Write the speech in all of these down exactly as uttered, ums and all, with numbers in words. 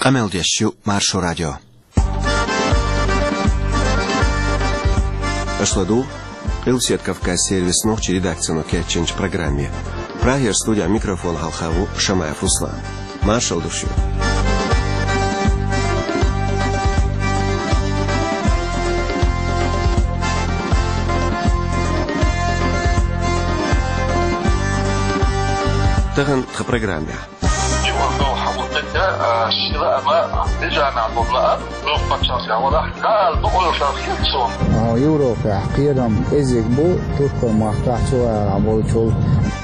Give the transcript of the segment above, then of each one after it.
Къамел деш ю Маршо радио. Аша ладугӀу Къилбаседа Кавказан сервисан нохчийн редакцино кечйинчу программе. Прагера студехь микрофон хьалха ву Шамаев Руслан. Маршалла ду шуьга. Тахана тхан программехь. Юха хьан ву тӀе, а, ши лаама, бежана долу лаам, муьлхха паччахьалкхехь валахь, Дала бакъо йолуш хилла цунна. А, Европехь кхерам кӀезиг бу, Туркойн махкахь цу арахь болчул.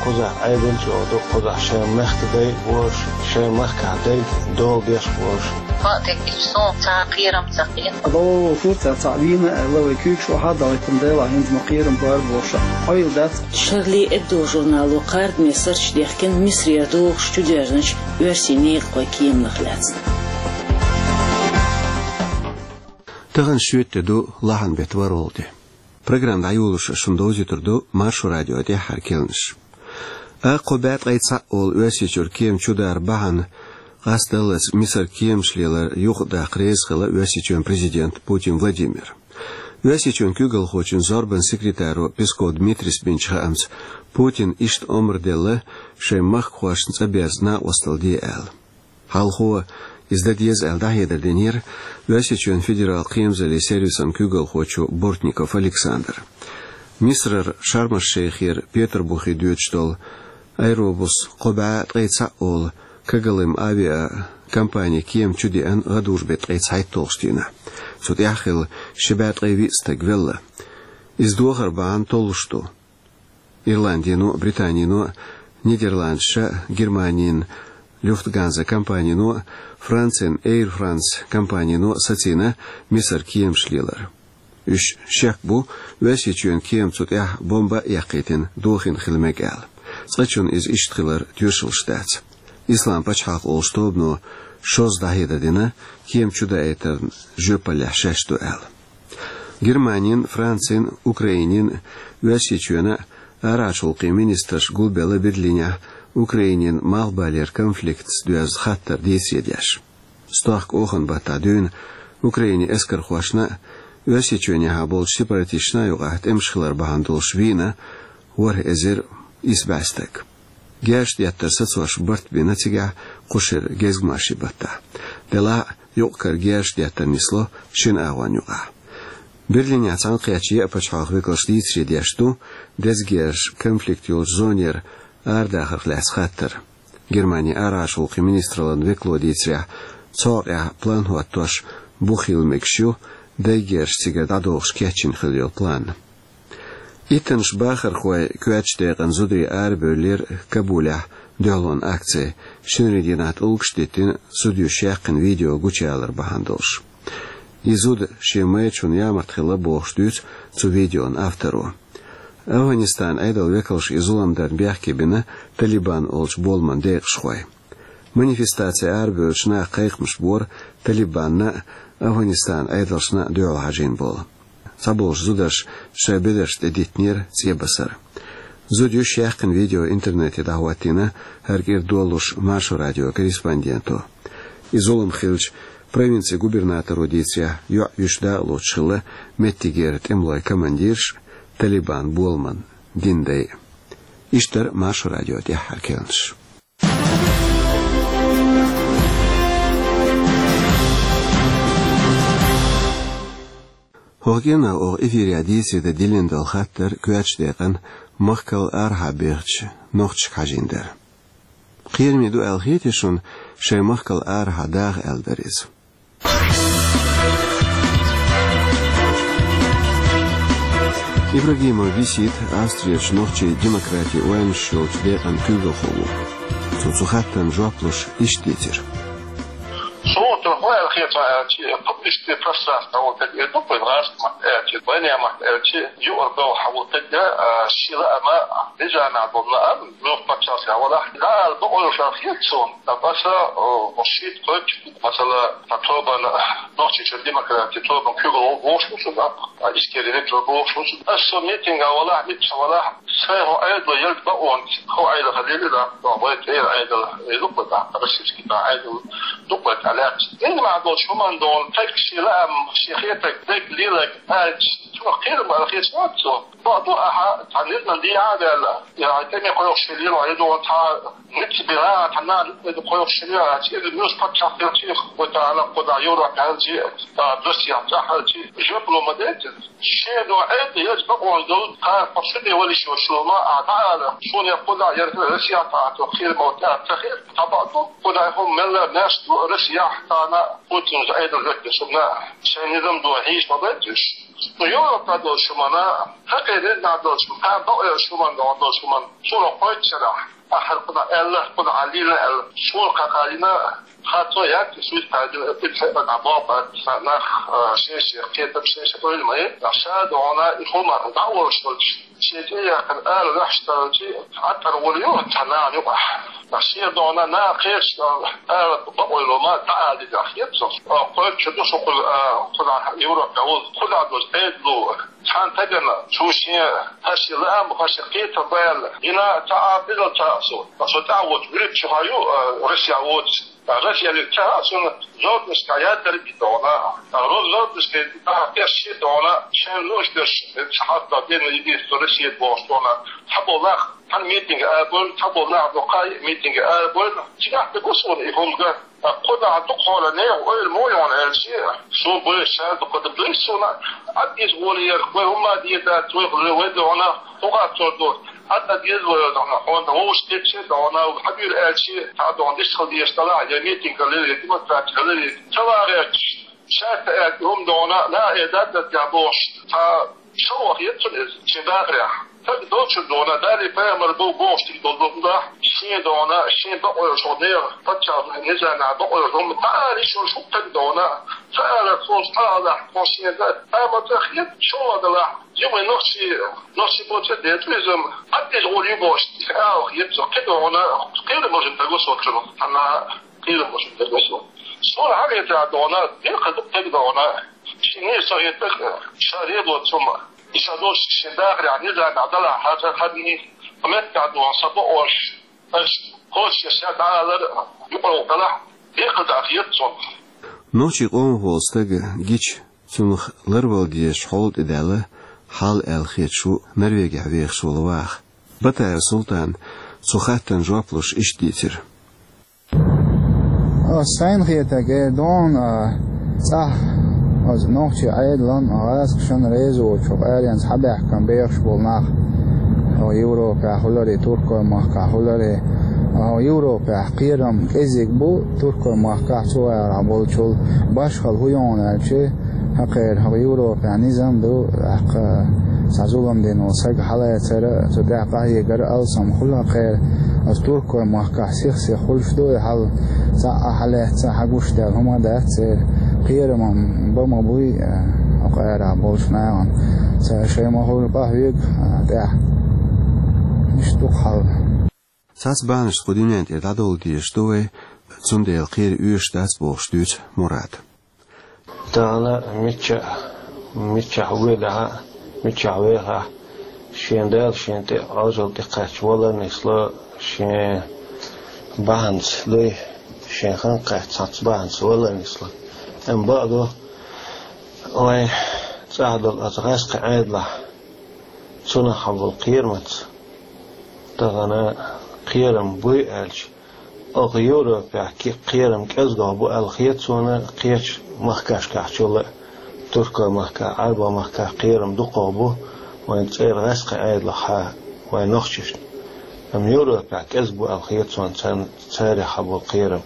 Кхузахь Ӏедал чӀогӀа ду, кхузахь шайн мехкан дай а бу уьш, шайн махкахь дайга дола деш а бу уьш. Ма тӀе гича суна цхьа кхерам ца хета. Ло, фу ца, цхьаъ вийна аьлла, вай куьйгаш охьа а дахийтина, Делахь хӀинца ма кхерам бар бохуш, къойла дац. Шарли Эбдо журнало кхардаме сурташ дехкина Мисарера догӀуш чудоьрзначу оьрсийн некъахойн кеманах лаьцна. Тахана шоьтан де ду, лахьан беттан ворхӀалгӀа де. Программа дӀайолош шуна довзуьйтур ду Маршо радион тӀаьххьара керланаш. Акха кхо бӀе ткъе цхьаъ олу Оьрсийчуьра кема чудар бахьана къастадаллалц Мисаран кеманаш лелар юхадаккха реза хилла Оьрсийчоьнан президент Путин Владимир. Оьрсийчоьнан куьйгалхочун зорбанан секретаро Песков Дмитрийс бинчу хаамца, Путина иштта омра делла шайн махкахошна цӀа беза накъосталла де аьлла. Хьалхо иза дан деза аьлла дӀахьедар динера Оьрсийчоьнан федералан кхерамзаллин сервисан куьйгалхочо Бортников Александра. Мисарара Шарм-аш-Шейхера Петарбухе доьдуш долу аэробус кхо бӀе ткъе цхьаъ олу Когалым авиакомпанин кема чудеана гӀадужу беттан ткъе цхьайтталгӀачу дийнахь. Цу тӀехь хилла ши бӀе ткъе виъ стаг велла. Иза дохар бахьана толлуш ду. Ирландино, Британино, Нидерландашна, Германин Люфтганза компанино, Францин Эйр Франс компанино сацийна Мисаран кеманаш лелар. Уьш шек бу, Оьрсийчоьнан кема цу тӀехь бомба а эккхийтина дохийна хила мега аьлла. Цкъачунна иза иштта хилар тоьшаллаш дац. Ислам пачхьалкх олучу тобано шозза дӀахьедар дина, кема чудаийтарна жоьпаллехь шаьш ду аьлла. Германин, Францин, Украинин, Оьрсийчоьнан арахьарчу гӀуллакхийн министраш гулбелла Берлинехь Украинин малхбалера конфликтаца доьзна хаттар дийцаре деш. Стохка оханан баттахь дуьйна Украинин эскархошна а, Оьрсийчоьнехьа болчу сепаратисташна а юкъахь тӀемаш хилар бахьана долуш вийна ворхӀ эзар исс бӀе стаг. Герзаш деттар сацош барт бина цигахь кху шеран гезгмашин баттахь. Делахь а, юкъ-кара герзаш деттар нисло шина агӀонна юкъахь. Берлинехь цхьаьнакхеттачу еа пачхьалкхан векалша дийцаре деш ду деза герзаш конфликт йолчу зонера арадахарх лаьцна хаттар. Германин арахьарчу гӀуллакхийн министраллан векало дийцарехь, цу хьокъехь план хӀоттош бух хила мегаш ю, дайн герзаш цигара дӀадохуш кечйина хилла йолу план. Иттаннаш бахархой коьртачу декъана зударий арабевллера Кабулехь дуьхьалонан акци, шинарин дийнахь тӀулгаш а диттина, зуда юьйш яьккхина видео гучуялар бахьана долуш. И зуда шен майрачунна ямарта хилла бохуш дуьйцу цу видеон авторо. Афганистанан Ӏедалан векалша и зулам дарна бехке бина Талибан олучу боламан декъашхой. Манифестаци арабевллачу наха кхайкхамаш бора Талибанна а, Афганистанан Ӏедалшна а дуьхьал хьажийна болу. Цхьаболчу зударша шайн бедаршна тӀедиттинера цӀе басар. Зуда юьйш яьккхина видео интернете дӀахӀоттийна хӀара кӀира долалуш Маршо радион корреспонденто. И зулам хилча, провинцин губернаторо дийцарехь, йоӀ юьйш дакъалоцуш хилла меттигера тӀемалойн командираш а, Талибан боламан динан дай а. Иштта дара Маршо радион тӀаьххьара керланаш. ХӀокху кӀирнах оха эфирехь дийцаре дан диллина долу хаттар коьртачу декъана махкал арахьа бехачу нохчашка хьажийна дара. Кхераме ду аьлла хетий шуна шайн махкал арахьа даха аьлла дара иза? Ибрагимов Висит Австрерчу нохчийн демократин ойланаш йолчу декъан куьйгалхо ву. Цо цу хаттарна жоп луш иштта дийцира. Суна тӀе хӀун аьлла хета аьлча, публичный пространство вот это, ну, по-, гӀазкхийн маттахь аьлча, вайнехан маттахь аьлча, юкъара бевлла хьан ву тӀе, а, ши лаама, бежана долу лаам, муьлхха паччахьалкхехь валахь, Дала бакъо йолуш хилла цунна. Ткъа аса, о, шийтта-кхойтта, масала, ткъа тобанан, Нохчийчуьра демократин тобанан куьйгалхо ву шуна, а, иштта ву шуна. Аса со митинга валахь, миччахьа валахь, сайн хӀокху Ӏедало ялта бакъонца, хӀокху Ӏедалх лелийла, вайн тӀера Ӏедал, э, ю-кх вайн, российский тӀера Ӏедал. дукха тӀалаьцна. Низам долчу хӀуманна долу, тайпа шен лаам, шен хетарг, дерг, леларг аьлча, цунах кхерам бара хеташ вац цо. Бакъду ахьа, цхьа низаман дехьа а ваьлла, я тӀеме кхойкхуш хилийла, я догӀу цхьа ницкъ бина, цхьа нана кхойкхуш хилийла, иза муьлш паччахь хилчи, вай тахана кху дӀа Европа хьаьлчи, а, Россия тӀехь хьаьлчи, жоп ло ма децира. Шен догӀу Ӏедал еза бакъонаш долу, кхара кхо шу де валиш йолуш ма, а дӀаала, шуна кху дӀа яра Россия тӀехь цо кхерам бара аьлла ца хир, цхьа бакъду, кху дӀа хӀума мелла маьрша ду, Россияхь тахана Путин Ӏедал веккхина шуна, шайн низам ду хьийш ма байташ. Ну, Европа долчу хӀуманна, хӀокхеран низам долчу хӀуманна, кхана бакъ йолчу хӀуманна, догӀу долчу хӀуманна, суна кхойтта шарахь, ахьар кху дӀа аьлла, кху дӀа лийна аьлла, суна кхакхалийна, хатто яц, суьйта кхайдина, итт хьекъа дӀа боху, нах, а, шен-шен кхетам, шен-шен ойла ма е, ша догӀу и хӀума дӀа а волуш волчу. Шен тӀе яьккхина ала ваьхьаш тарлчи, Ӏаттар волу ю, цхьа нана юкъахь. Ткъа шен догӀу нана кхечу ала бакъ ойла ма, дӀа ала деза хета со. Кхойтта шу ду шу кхуза, а, кхузахь Европа волу, кхузахь долчу Ӏедало. Цхьана тагана цу шен, хӀара шен лаам, хӀара шен кхетам баьлла. Йина ца а, бизал ца а со. Со тӀаьхьа воцу, Гречи хьа ю, а, Россия воцу. Ткъа Россия ца а, цунна Золотнишка ян дерг догӀу. Ткъа Золотнишка тӀехь тӀе ши догӀу, шен луш дерш, ца хьаста дена единство Россия бохуш догӀу. Цхьаболу нах, цхьана митинге арабевлла, цхьаболу нах дукха митинге арабевлла. Цигахь ца гу суна и хӀума ган. Ткъа кху дӀа дукха хьоле нехан ойла мо йогӀу аьлчи, суна буьйса ша дукха дан буьйса суна, Ӏад иза гӀоле яра, вай хӀумма а дийр дац, вай хӀума вай догӀу, хӀун гӀаттор ду, Ӏад а деза вай догӀу, хьуна вовшах тӀе догӀу, хьабийр аьлчи, цхьа догӀу дистхила дезаш далахь, я митинг хилира, я демонстраци хилира, ца вагӀерчаш, шаьш ца аьлча, хӀума догӀу, ла э даддат я бохуш, цхьа Шо вахийта цунна иза, шен дахарехь. Стаг долчуьра догӀу, Далла пайхамар бу бохуш дика долу духу дахь, шен догӀу, шен бакъойла шо нехан паччахьна низамехь бакъойла хӀума ца ала йиш йолуш хӀума стаг догӀу, ца алар цо цкъа а алахь, тхо шен да, амма ца хета, шо ван далахь, юха нохчий, нохчий боцу децу иза, Ӏад иза гӀур ю бохуш, ала хета цо, кхин догӀу, кхин а можна дагу со цунах, хьанна кхин а можна дагу со. Суна хьан хетарехь догӀу, декхар ду стаг догӀу, шен нийса со хетарг, ша лелоцу хӀума. И ша долуш шен дахарехь низамехь далахь, хьан ца хадний, хьан меттехь догӀу, сан бакъош, аша кхочушъеш ша дӀаалар, юкъа далахь, декхар ду хета цунах. Нохчийн къомах волу стаг гича, цунах ларвала дезачу хьола тӀедаьлла хьал аьлла хеташ ву Норвегехь вехаш волу ваха. Батаев Султана цу хаттарна жоп луш иштта дийцира. Ас сайна хетарг, э, дона, а, цӀахь, аса нохчийн Ӏедалан, а, гӀазкхашан реза воцу хӀокху аренца хьабаьхкина бехаш болу нах, хӀо Европехь хиларе, Туркойн махкахь хиларе, хӀо Европехь кхерам кӀезиг бу, Туркойн махкахь цу агӀор болчул башхалла хӀун ю аьлча, хӀокхеран хӀокху Европехь низам ду, тӀаккха цхьа зулам дина волу саг хьалацара, цу тӀехь къахьегара алсам хуьлу хӀокхеран. Оцу Туркойн махкахь сих-сиха хуьлуш ду и хьал, цхьа а хьалаьцна, хьан гуш даьлла хӀума а дац церан. Кхерам бан ма буй, хӀокху арахь болчу нахана. Цара шайн ма хуьлу къахьоьгу тӀехь. Иштта ду-кх хьал. Цхьацца бахьанашца кху дуьнен тӀера дӀадовла дезаш ду вай, цундела кхера оьшуш дац бохуш дуьйцу Мурада. Тахана мичча, миччахь вуьйлахь а, миччахь вехахь а, шен Дала шен тӀе Ӏожалла тӀекхаьчча вала нисло, шен бахьанца дуй, шен хан кхаьчча цхьацца бахьанца вала нисло. Амма бакъ ду, вайн цӀахь долу оцу гӀаьскхи Ӏедалахь, цунах хьан болу кхерамаца, тахана кхерам буй аьлча, оха Европехь ки-, кхерам кӀезгох бу аьлла хета суна, кхечу махкашкахь чул а, Туркойн махкахь, Ӏарбойн махкахь кхерам дукхох бу, вайн цӀера гӀаьскхи Ӏедалахь, вайн нохчашна. Амма Европехь кӀезиг бу аьлла хета суна царна, царах хьан болу кхерам.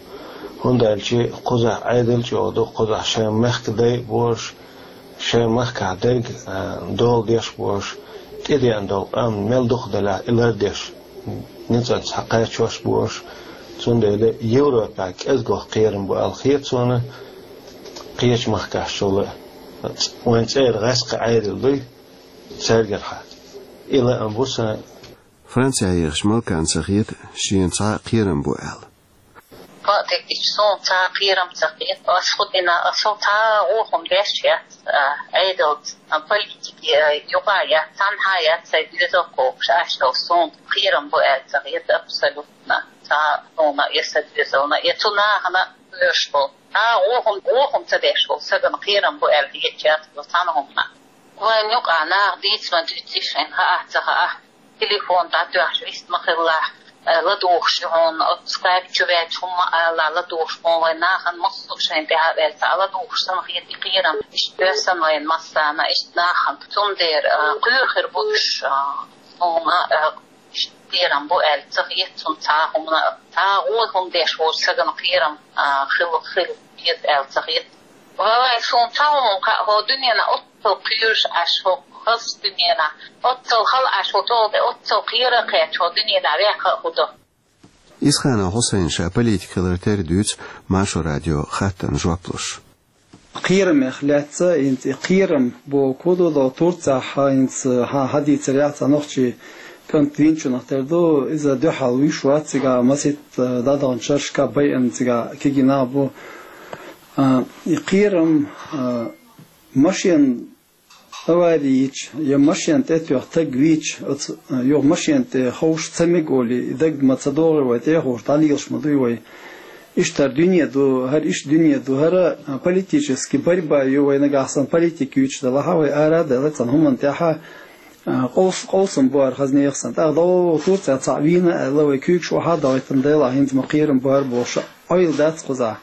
ХӀунда аьлча кхузахь Ӏедал а чӀогӀа ду, кхузахь шайн мехкан дай а бу уьш, шайн махкахь дерг, а, дола деш бу уьш, тӀедеана долу къам мел дукха делахь а, и лардеш, ницкъаца схьакхачош бу уьш. Цундела Европехь кӀезгох кхерам бу аьлла хета суна, кхечу махкашкахь чул а. Вайн цӀера гӀаьскхи Ӏедал дуй, цаьргара хьан. И лаам бу сан. Францехь ехачу Малкана ца хета шена цхьа а кхерам бу аьлла. Бакъдерг дийцича, суна цхьа а кхерам ца хета. Ас хӀун дина, ас хӀун цхьа а гӀуллакх-м деш яц, а, Ӏедалца, а, политике, а, юкъа яц, цхьанхьа яц сайн доьзал кхобуш, аш долу суна кхерам бу аьлла ца хета абсолютно. Цхьа а суна я сан доьзална, я цу нахана лоьш бу. А, вохум, вохум ца деш бу, сагана кхерам бу аьлла хетачаьрца цхьана хӀумана. Вайн юкъа наха дийца ма дуьйций шайн, хаа а ца хаа, телефон дӀатоьхча вист ма хилла, э, ладугӀуш ю хьуна, оцу скайп чу ваьлча хӀума ала, ладугӀуш хьуна вайн нахана массо а шайн тӀехьа а ваьлла, цхьа а ладугӀуш санна хета и кхерам, иштта доьссина вайна массарна, иштта нахана. Цундела, э, кхоьру хир бу уьш, э, хӀума, э, иштта кхерам бу аьлла ца хета цунна цхьа а хӀумана, цхьа а гӀо хӀума деш волчу сагана кхерам, э, хила, хила хета аьлла ца хета. Валлай, суна цхьа хӀума кхаъ, хӀо дуьненахь оццул кхоьруш Ӏаш, хӀо хазачу дуьненахь, оццул хала Ӏаш, хӀо цул тӀе оццул кхера а кхаьчча, хӀо дуьненахь ваьккха а хӀу ду. Исханов Хьусайн ша политик хилар терра дуьйцу Маршо радион хаттарна жоп луш. Кхерамех лаьцна, хӀинца и кхерам бохург ду, Турцехь хӀинца хьан хьадийцар яц, нохчийн кӀант винчунах тера ду, иза дуьхьал вуьйш вац цигахь, масийтта дӀадаханчу шерашкахь байина цигахь кегий нах бу. А, и кхерам, а, машен авари йича, я машен тӀетоьхна стаг вийча, оцу, а, юха машен тӀе ховш ца мега олий, и дага ма ца догӀий вай, тӀе а ховш, дӀалелаш ма дуй вай. Иштта хӀара дуьне ду, хӀара иштта дуьне ду, хӀара, а, политически борьба ю вай, нагахь санна политика юьйцуш делахь а, вай ара а даьлла цхьана хӀуманна тӀехь, а, къовс-, къовсам бу хӀара хаза нехан санна. ТӀаккха дӀо Турцехь цхьаъ вийна аьлла, вай куьйгаш охьа а дахийтина делахь, хӀинца ма кхерам бу хӀара бохуш, Ӏойла дац кхузахь.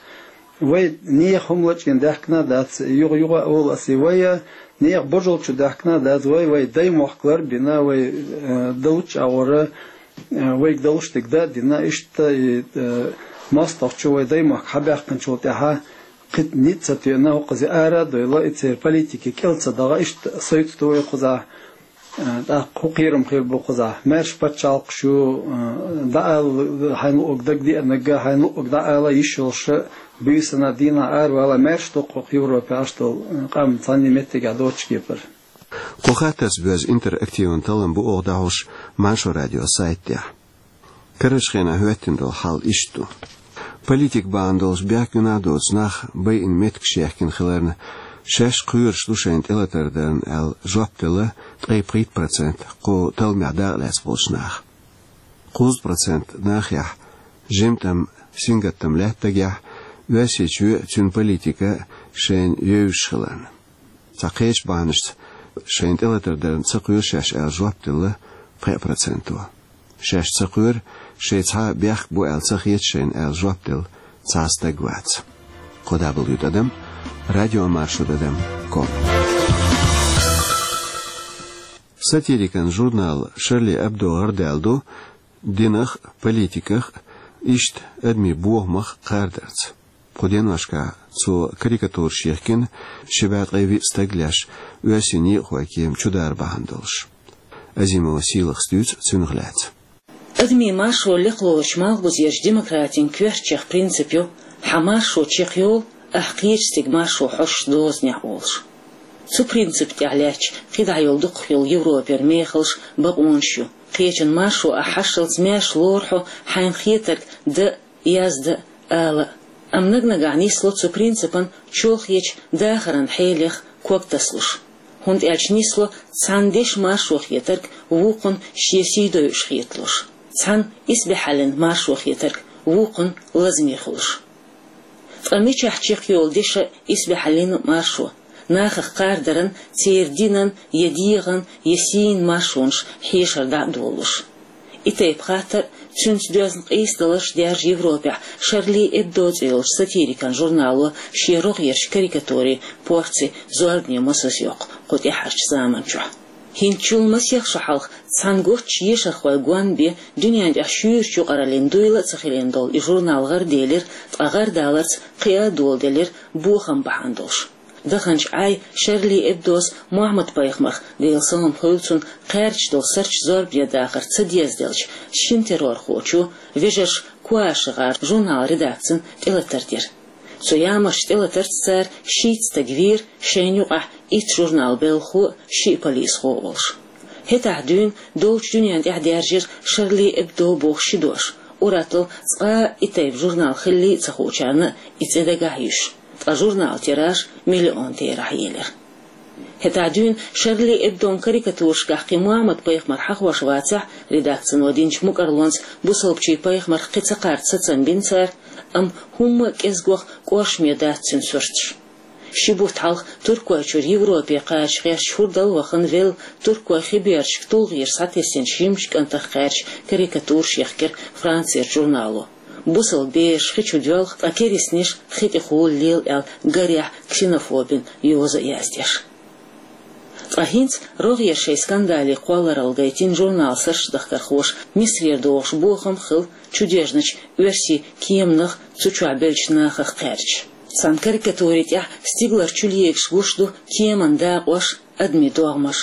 Вай нехан хӀума лачкъийна даьхкина а дац, юха-юха а олу аса, вай нехан божал чу даьхкина а дац, вай, вай даймохк лар а бина, вай, э, далуччу агӀора, э, вайга далуш дерг дан а дина, иштта и, э, мостагӀчо вай даймохк хьабаьккхинчул тӀаьхьа кхин ницкъ ца тоьъна, хӀокхузе ара а дойла, и церан политике кӀел ца даха, иштта сойту вай кхузахь. Э, тӀаккха хӀун кхерам хир бу кхузахь? Маьрша пачхьалкхаш ю, э, дӀаала хьайна луъург дагадеанарг, хьайна луъург дӀаала йиш йолуш а, буьйсанна дийнахь аравала маьрша ду кху Европехь Ӏаш долу, э, къам цхьанне меттигехь доцучу кепара. Кху хаттарца боьзна интерактиван таллам бу оха дӀахьош Маршо радион сайта тӀехь. Карарчу хенахь хӀоьттина долу хьал иштта ду. Политика бахьана долуш бехк гина а доцу нах байина меттигаш яьхкина хиларна, шаьш кхоьруш ду шайна тӀелатар дарна аьлла жоп делла ткъе пхийтта процент кху талламехь дакъалаьцна болчу наха. Кхузткъа процент нахехь жимтам, сингаттам лаьтта дагахь, Оьрсийчоь а, цуьнан политика а шайна евзаш хиларна. Цхьа кхечу бахьанашца шайна тӀелатар дарна ца кхоьру шаьш аьлла жоп делла пхеа проценто. Шаьш ца кхоьру, шайн цхьа бехк бу аьлла ца хета шайна аьлла жоп делла цхьа а стаг вац. Кхо дабл ю тӀадам, радиомаршо тӀадам ком. Сатирикан журнал «Шарли Эбдо» гӀардаьлла ду динах а, политиках а, иштта адамийн бохамах а кхардарца. Кху деношкахь цо карикатураш йихкина ши бӀе ткъе виъ стаг леш, оьрсийн некъахойн кема чудара бахьана долуш. Азимова Сийлахас дуьйцу цуьнах лаьцна. Адамийн маршо лекха лоручу малхбузерчу демократин коьртачех принцип ю: хьан маршо чекхйолу, ахь кхечу стеган маршо хьожуш дозанехь, олуш. Цу принципна тӀехь лаьтташ кхидӀа йолу дукхах йолу Европера мехаллаш, бакъонаш ю. Кхечун маршо ахь хьашталц маьрша лору хьо хьайна хетарг дан а, яздан а, ала а. Амма наг-нагахь нисло цу принципан чолхечу дахаран хьелех ког тасалуш. ХӀунда аьлча нисло цхьана дешан маршо хетарг вукхунна шен сий дойуш хеталуш, цхьана исбаьхьаллин маршо хетарг вукхунна лазаме хуьлуш. Ткъа мичахь чекхйолу дешан исбаьхьаллин маршо? Нахах кхардаран, церан динан, я дегӀан, я сийна маршонаш хьешар дӀа а долуш. И тайпа хаттар а, цуьнца доьзна къийсадаларш а даьржа Европехь «Шарли Эбдо» цӀе йолчу сатирикан журнало шен рогӀерчу карикатурийн порци зорбане масазйоккху кху тӀаьхьарчу заманчохь. ХӀинцачул масех шо хьалха цхьана готтачу ешархойн гон бен дуьненна тӀехь шуьйрачу юкъараллин дуйла а ца хилийна долу и журнал гӀарделира, ткъа гӀардаларца кхиа а доладелира бохам бахьана долуш. Даханчу Ӏай «Шарли Эбдос» Мухьаммад-пайхамарх, Делан салам хуьлда цунна, кхаьрдаш долу сарч зорбане дахар ца дезделча, шина террорхочо, вежарша Куаши-ГӀар журнал редакцина тӀелатар дира. Цу ямарчу тӀелатарца цара шийтта стаг вийра, шайна юкъахь итт журнал белхахо а, шиъ полисхо а волуш. ХӀетахь дуьйна долчу дуьненна тӀехь даьржира «Шарли Эбдо» боху ши дош, уьттазза цкъа а и тайпа журнал хиллий а ца хуучарна а и цӀе дагахь а юьсуш. Ткъа журналан тираж миллион терахь елира. ХӀетахь дуьйна «Шарли Эбдон» карикатурашкахь кхин Мухьаммад-пайхамар хьахош вацахь а, редакцино динчу мукӀарлонца бусалбачийн пайхамарх кхин ца кхарда сацам бина цара, Амма хӀумма а кӀезгох кӀоршаме дац цуьнан сурташ. Ши бутт хьалха Туркойчуьра Европе кхача гӀерташ хӀордал вахана велла, туркойн хи бердашка тулгӀенаш схьатесначу жимачу кӀантах кхаьчна карикатураш яхкира Францерчу журнало. Бусалба бераш хи чу доьлху, ткъа керстанаш хи тӀехула лела аьлла, гарехь, ксенофобина йоза а яздеш. Ткъа хӀинца рогӀера шайн скандале кхолларалла гайтина журнал суртдахкархоша Мисарера догӀуш бохам хилла чудоьжначу оьрсийн кеманах, цу чохь беллачу нахах кхаьчча. Цхьана карикатуре тӀехь стигалара чулегаш гуш ду кеманан дакъош, адамийн догӀмаш.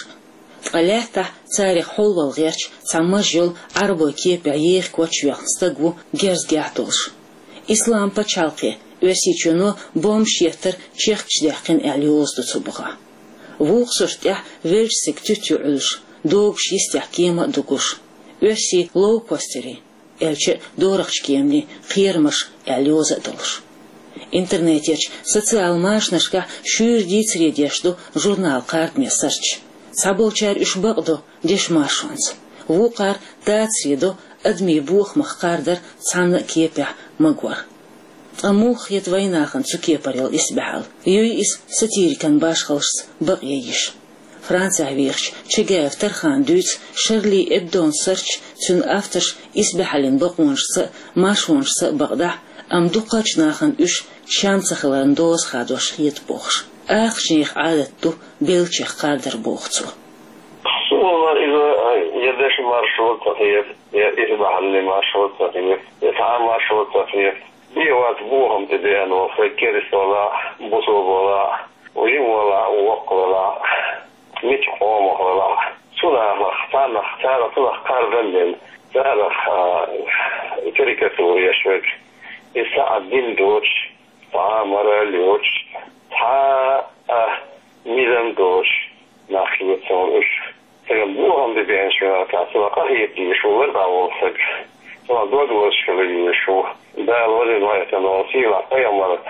Ткъа лаьттахь царех хьолвала гӀерташ цхьа маж йолу Ӏарбойн кепехь еха коч йоьхна стаг ву герзгехь долуш. Ислам пачхьалкхе, Оьрсийчоьно бомбаш еттар чехкаш даьккхина аьлла йоза ду цу бухахь. Вукху сурт тӀехь веллачу стеган туьта юкъуьллуш, догуш йистехь кема а дугуш. Оьрсийн лоукостерийн, аьлча а дорахчу кеманийн кхерамаш аьлла йоза а долуш. Интернетерчу социал машанашкахь шуьйра дийцаре деш ду журнал кхардаме сурташ. Цхьаболчара уьш бакъдо дешан маршонца, вукхара дацаре до адамийн бохамах кхардар цхьана а кепехь магор. Ткъа муха хета вайнахана цу кепара йолу исбаьхьалла? Юй иза сатирикан башхаллашца бакъе йиш? Францехь вехачу Чагаев Тархана дуьйцу Шарли Эбдон сурташ цуьнан авторш исбаьхьаллин бакъонашца а, маршонашца а бакъдахь, амма дукхачу нахана уьш чам ца хиларан доза хадош хета бохуш. Ахчанех Ӏадат ду беллачех кхардар боху цо. Суна иза я дешан маршо ца хета, я исбаьхьаллин маршо ца хета, я цхьа а маршо ца хета. Бен вац бохам тӀе деана волу, хӀай керста валахь, бусалба валахь, жима валахь, воккха валахь, миччу къомах валахь. Цу нахах, царнах, царах цунах кхардан дина, царах, а, карикатура еш верг, иза цхьа а дин доцуш, цхьа а мораль йоцуш, цхьа а низам доцуш нах хета суна уьш. Стеган бохам де беанаш вина цунах къахета дезаш ву, лар дӀа волу стаг. Цунах дог лозуш хила дезаш ву. Дала вазийна вайтана волу сийлахь пайхамар,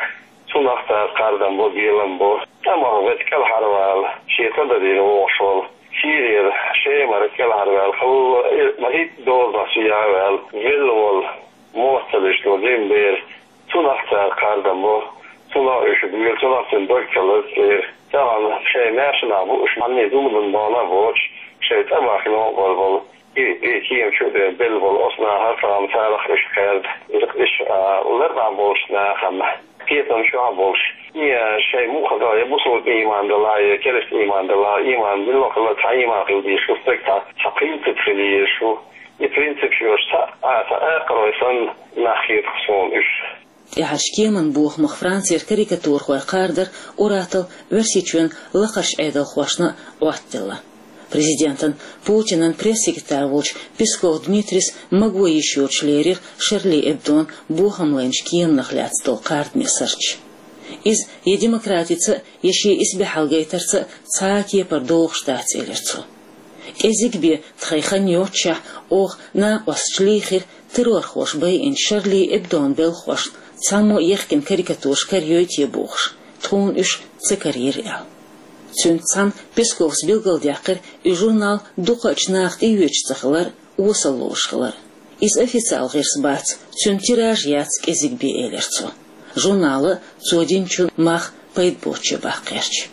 цунах цара кхардам бо, гелам бо. ТӀамах вета кӀелхьарвала, шен ца дадийна вогӀуш волу, Сирера, Шемара кӀелхьарваьлла, хӀаллакьхӀитта дозанах чу яхьаваьлла, велла волу, моццаллаш долу жима бер, цунах цара кхардам бо, цунах уьш буьйлу, цунах цуьнан дог ца лаза церан. Тахана шайн маьрша нах бу уьш, хьанний зуламан дона а боцуш, шайн тӀамах новкъа болу, и, и кема чу а бен белла болу оцу нахах тахана царах уьш кхаьрда. Иза уьш, а, лар дӀа болчу нахана, кхетам чохь а болуш. И, а, шайн муха дала, я бусалба ийман дала, я керста ийман дала, ийман мила хилла цхьа ийман хила дезаш ву стаг, цхьа, цхьа принцип хила езаш ву. И принцип йоцуш цхьа а, цхьа а акхарой санна нах хета суна уьш. ТӀаьхьарчу кеман бохамах Францера карикатурхой кхардар ур-атталла Оьрсийчоьнан лакхарчу Ӏедалхошна а Ӏоттаделла. Президентан Путинан пресс-секретарь волчу Песков Дмитрийс маго йиш йоцуш лерира Шарли Эбдон бохам лайначу кеманах лаьцна долу кхардаме сурташ. Иза я демократица, я шен исбаьхьалла гайтарца цхьа а кепара догӀуш дац, элира цо. КӀезиг бен тхайн хан йоццушехь, оха накъосташ лийхира террорхоша байинчу Шарли Эбдон белхахошна цхьаммо а ехкина карикатураш карайой те бохуш, тхуна уьш ца карийра аьлла. Цуьнца цхьаьна Песковс билгалдаьккхира и журнал дукхачу наха тӀеоьцуш ца хилар, осалла лоруш хилар. Иза официал гӀирс бац, цуьнан тираж яц кӀезиг бен, элира цо. Журнала цо динчун мах пайда боцчу баккхарчу.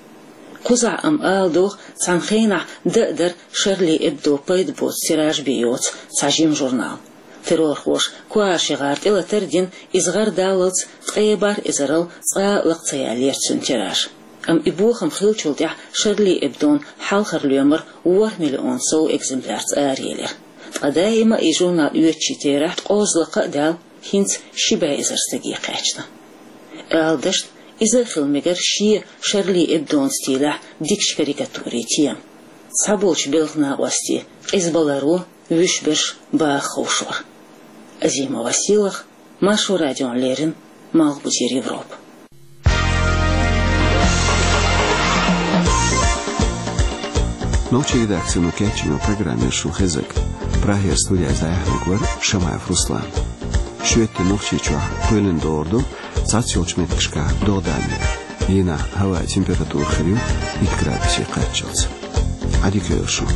Кхузахь амма ала догӀу, цхьана хенахь дан а дара Шарли Эбдо пайда боцу тираж бен йоцу цхьа жима журнал. Террорхоша коа ши гӀар тӀелатар а дина, иза гӀар даллалц ткъе бархӀ эзарал цкъа а лакха ца яьллера цуьнан тираж. Амма и бохам хиллачул тӀаьхьа Шарли Эбдон хьалхара лоьмар ворхӀ миллион сов экземплярца араелира. Ткъа даима а и журнал оьцучийн терахь ткъозза лакха а даьлла, хӀинца ши бӀе эзар стаге кхаьчна. Ала дашна, иза а хила мегара шен Шарли Эбдон стилехь дикачу карикатурийн тема. Цхьаболчу белхан накъостийн къизбаларо, вуьшта берш баха ховшор. Азима Василах, Маршо радиона леррина, Малхбузера Европа. Нохчийн редакцино кечйина программа шун хезаг. Прагера студехь зӀе хьалхавар Шамаев Руслан. Шоьтан Нохчийчохь кхоьлина догӀур ду цхьацца йолчу меттигашкахь догӀа дан. Дийнахь хӀаваан температура хир ю итт градусе кхаччалц. Ӏадика йойла шун.